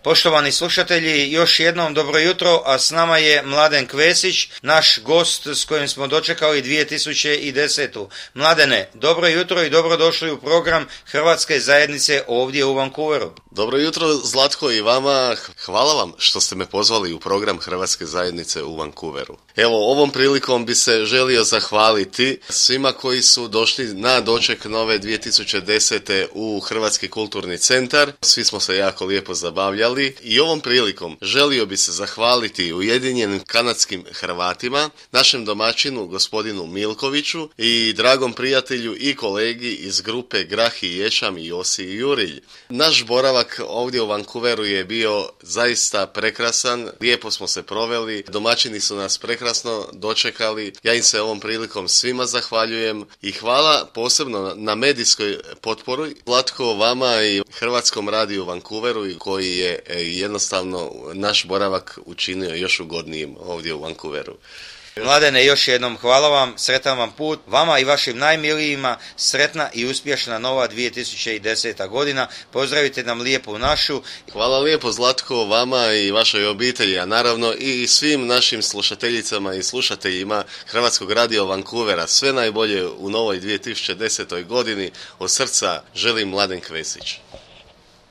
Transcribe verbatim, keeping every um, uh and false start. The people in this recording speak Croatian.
Poštovani slušatelji, još jednom dobro jutro, a s nama je Mladen Kvesić, naš gost s kojim smo dočekali dvije tisuće desetu. Mladene, dobro jutro i dobrodošli u program Hrvatske zajednice ovdje u Vancouveru. Dobro jutro Zlatko i vama, hvala vam što ste me pozvali u program Hrvatske zajednice u Vancouveru. Evo, ovom prilikom bi se želio zahvaliti svima koji su došli na doček nove dvije tisuće desete u Hrvatski kulturni centar. Svi smo se jako lijepo zabavljali i ovom prilikom želio bi se zahvaliti Ujedinjenim kanadskim Hrvatima, našem domaćinu gospodinu Milkoviću i dragom prijatelju i kolegi iz grupe Grah i Ječam i Josi i Jurilj. Naš boravak ovdje u Vancouveru je bio zaista prekrasan, lijepo smo se proveli, domaćini su nas prekrasno dočekali, ja im se ovom prilikom svima zahvaljujem i hvala posebno na medijskoj potpori Zlatko vama i Hrvatskom radiju u Vancouveru koji je jednostavno naš boravak učinio još ugodnijim ovdje u Vancouveru. Mladene, još jednom hvala vam, sretan vam put, vama i vašim najmilijima, sretna i uspješna nova dvije tisuće deseta godina, pozdravite nam lijepu našu. Hvala lijepo Zlatko, vama i vašoj obitelji, a naravno i svim našim slušateljicama i slušateljima Hrvatskog radija Vancouvera, sve najbolje u novoj dvije tisuće desetoj godini, od srca želim Mladen Kvesić.